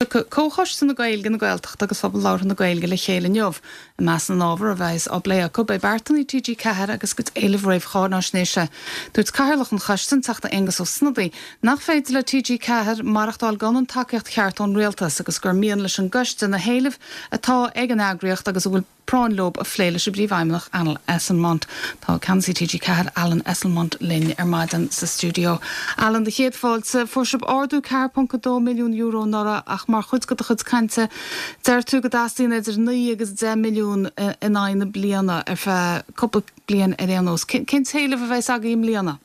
Tiocfaidh Comhchoiste na Gaeilge, na Gaeltachta agus Phobal Labhartha na Gaeilge le chéile inniu. I measc na n-ábhar a bheas á bplé acu beidh beartanna TG4 agus a gcuid éileamh réamh-cháináisnéise. Dúirt Cathaoirleach an Choiste, an Teachta Aengus Ó Snodaigh, nach féidir le TG4 maireachtáil gan an tacaíocht cheart ón Rialtas agus gur mian leis an gcoiste na héilimh atá ag an eagraíocht agus a bhfuil práinn leo a phlé leis an bPríomhfheidhmeannach Alan Esslemont. Tá Ceannasaí TG4 Alan Esslemont linn ar maidin sa stiúideo. Alan, do chéad fáilte. Fuair sibh ardú €4.2 milliún anuraidh ach mar chuid de do chuid cainte deir tú go dteastaíonn idir 9 agus 10 milliún in aghaidh na bliana ar feadh cúpla bliain ar aon nós. Cén t-éileamh a bheas agaibh i mbliana?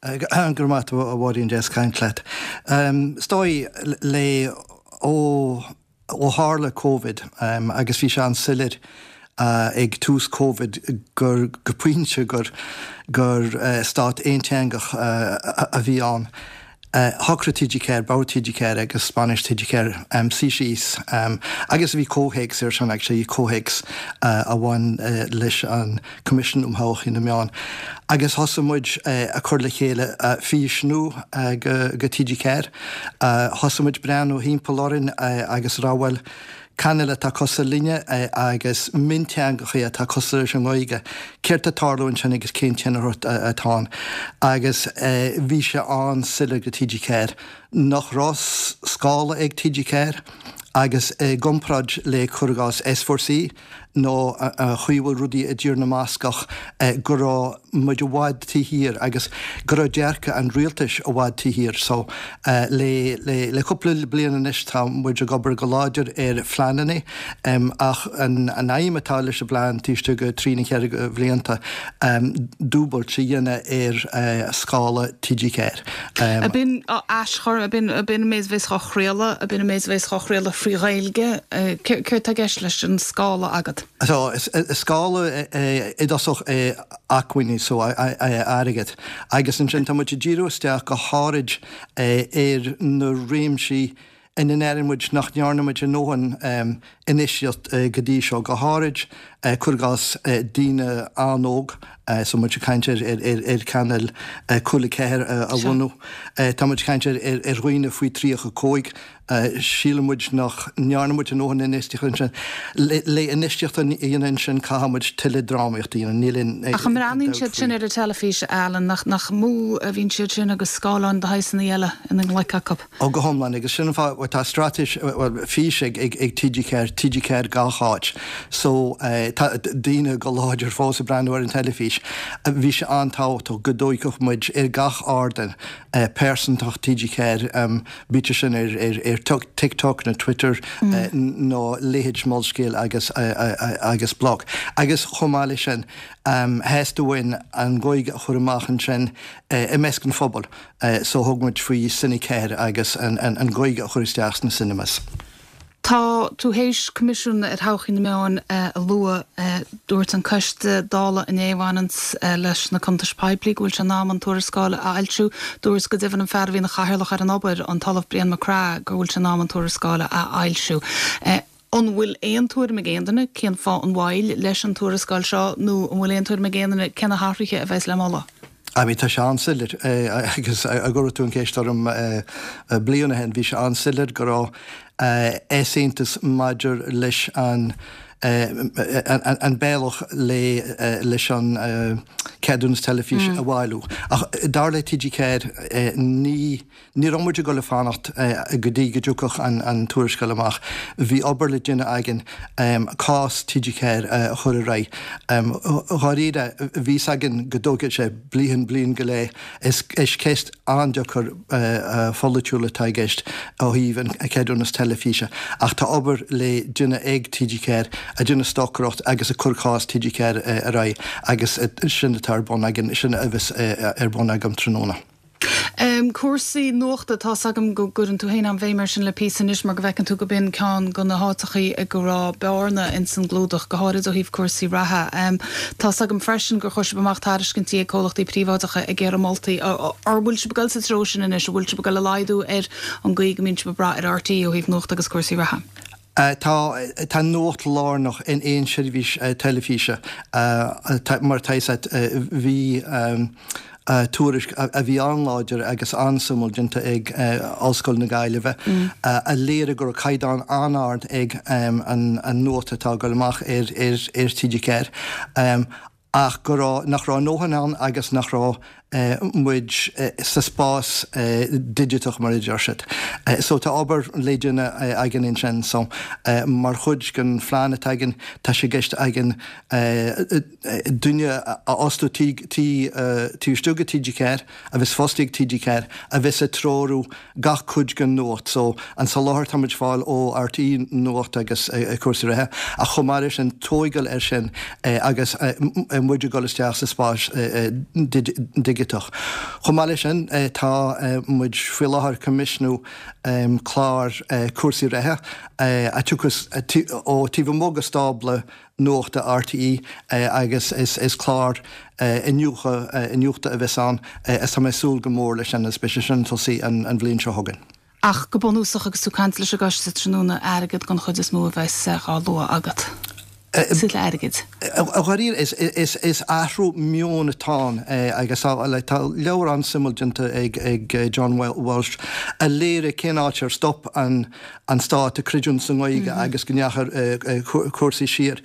Go raibh maith agat a Mháirín, deas caint leat. Is dóigh le ó Ó tharla Covid, agus bhí sé an-soiléir ag tús Covid gur, go pointe, gur, gur stát aonteangach a bhí ann, shocraigh TG4, Bord TG4 agus bainistíocht TG4 suí síos agus bhí comhthéacs air sin actually, comhthéacs a bhain leis an Coimisiún um Thodhchaí na Meán agus thosaigh muid ag cur le chéile fís nua go TG4. Thosaigh muid breathnú thimpeall orainn agus rá bhuel, cainéil atá cosúil linne agus mionteangacha atá cosúil leis an nGaeilge, céard tá ag tarlú ansin agus cén tionchar atá ann? Agus bhí sé an-soiléir go TG4 nach raibh scála ag TG4 agus i gcomparáid le cuir i gcás S4C, nó an chaoi a bhfuil rudaí i dTír na mBascach, go raibh muid i bhfad taobh thiar agus go raibh dearcadh an rialtais i bhfad taobh thiar. So, le, le, le cúpla bliain anois tá muid ag obair go láidir ar phleananna ach an, an aidhm atá leis an bplean taobh istigh de thrí nó cheithre bhlianta, dúbailt a dhéanamh ar scála TG4. Ab in aschur, ab in, ab in an méid a bheas á chraoladh, ab in an méid a bheas á chraoladh thrí Ghaeilge? Céard tá i gceist leis an scála agat? So, scála i dtosach acmhainní, so airgead. Agus ansin tá muid ag díriú isteach go háirid ar na réimsí ina ndeireann muid nach ndearna muid a ndóthain infheistíocht go dtí seo, go háirid cuir i gcás daoine an-óg, so muid ag caint ar ar chainéal Cúla 4 a bhunú, tá muid ag caint ar ar dhaoine faoi 35, síleann muid nach ndearna muid a ndóthain infheistíocht ansin. Le infheistíocht a dhéanamh ansin caithfidh muid tuilleadh drámaíocht a dhéanamh, níl aon dabht faoi. Ach an mbreathnaíonn siad sin ar an teilifís, Alan, nach mó a bhíonn siad sin agus scáileáin de shaghsanna eile ina nglaic acu? Ó, go hiomlán, agus sin an fáth, bhuel, tá straitéis, bhuel, fís ag, ag, ag TG4, TG4 gach áit. So, tá daoine go láidir fós ag breathnú ar an teilifís. Bhí sé an-tábhachtach go dtóigfeadh muid ar gach ardán pearsantacht TG4, bíodh sé sin ar, ar, ar TikTok nó Twitter nó leithéid Molscéal agus, agus Bloc. Agus chomh maith leis sin, theastaigh uainn an Ghaeilge a chur amach ansin i measc an phobail. So thug muid faoi Cine 4 agus an Ghaeilge a chur isteach sna cinemas. Tá tú théis Coimisiún ar Thodhchaí na Meán a lua. Dúirt an Coiste Dála inné a bhaineanns leis na cuntais poiblí go bhfuil sé in am an tuarascáil a fhoilsiú. Dúirt go deimhin an fear a bhí ina chathaoirleach ar an obair, an tOllamh Brian Mac Craith, go bhfuil sé in am an tuarascáil a fhoilsiú. An bhfuil aon tuairim ag aon duine cén fáth an mhoill leis an tuarascáil seo nó an bhfuil aon tuairim ag aon duine cé na hathruithe a bheas le moladh? I mean tá sé an-soiléir agus dá gcuirfeadh tú an cheist orm bliain ó shin bhí sé an-soiléir go raibh easaontas maidir leis an an bealach le leis an ceadúnas teilifíse a bhailiú. Ach dar le TG4 ní Ní raibh muid ag dul ag fanacht go dtí go dtiocfadh an tuarascáil amach. Bhí obair le déanamh againn cás TG4 a chur ar aghaidh. Dháiríre, bhí fhios againn go dtógfadh sé bliain, bliain go leith. Is ceist an-deacair pholaitiúil atá i gceist ó thaobh an ceadúnas teilifíse ach tá obair le déanamh ag TG4, ag déanamh stocaireacht agus ag cur cás TG4 ar aghaidh agus sin atá ar bun againn, sin a bheas ar bun agam tráthnóna. Cúrsaí nuachta, tá's agam go gcuireann tú féin an-bhéim air sin le píosa anois mar go bhfeiceann tú go b'in ceann de na háiteachaí ag go raibh bearna ins an gclúdach, go háirid ó thaobh cúrsaí reatha. Tá's agam freisin gur chuir sibh amach tairiscintí ag comhlachtaí príobháideacha ag iarraidh moltaí. An bhfuil sibh ag dul sa treo sin anois? An bhfuil sibh ag dul ag laghdú ar an gcaoi go mbíonn sibh ag brath ar RTÉ ó thaobh nuachta agus cúrsaí reatha? Tá tá nuacht lárnach in aon seirbhís teilifíse. Mar atá fhios agat, bhí. tuairisc a bhí an-láidir agus an-suimiúil déanta ag Ollscoil na Gaillimhe a léirigh go raibh caighdeán an-ard ag an nuacht atá ag dul amach ar TG4 ach go raibh, nach raibh a ndóthain ann agus nach raibh muid sa spás digiteach mar a deir siad. So tá obair le déanamh againn ansin. So mar chuid den phlean atá againn tá sé i gceist againn duine a fhostú taobh istigh de TG4, a bheas fostaithe ag TG4, a bheas ag treorú gach cuid den nuacht. So, an soláthar atá muid ag fáil ó RTÉ Nuacht agus cúrsaí reatha, ach chomh maith leis sin, tóigeáil air sin agus muid ag dul isteach sa spás digiteach. Chomh maith leis sin, tá muid faoi láthair ag coimisiúnú clár cúrsaí reatha a tiocfas ó taobh amuigh de stábla Nuachta RTÉ agus is clár iniúchta a bheas ann is tá mé ag súil go mór leis sin agus beidh sé sin ag tosaí an bhliain seo chugainn. Ach go bunúsach agus tú ag caint leis an gcoiste tráthnóna, airgead den chuid is mó a bheas á lua agat. Tuilleadh airgid. Dháiríre, is athrú meoin atá ann agus tá leabhar an-suimiúil déanta ag John Walsh a léirigh cén áit ar stop an an Stát ag creidiúint sa nGaeilge agus go ndeachaigh cúrsaí siar.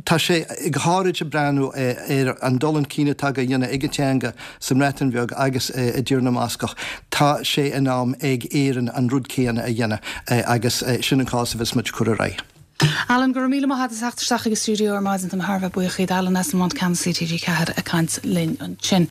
Tá sé go háirid ag breathnú ar an dul chun cinn atá á dhéanamh ag an teanga sa mBreatain Bheag agus i dTír na mBascach. Tá sé in am ag Éirinn an rud céanna a dhéanamh agus sin an cás a bheas muid ag cur ar aghaidh. Alan, go raibh míle maith agat as theacht isteach chuig an stiúideo ar maidin. Táim thar a bheith buíoch díot. Alan Esslemont, Ceannasaí TG4 ag caint linn ansin.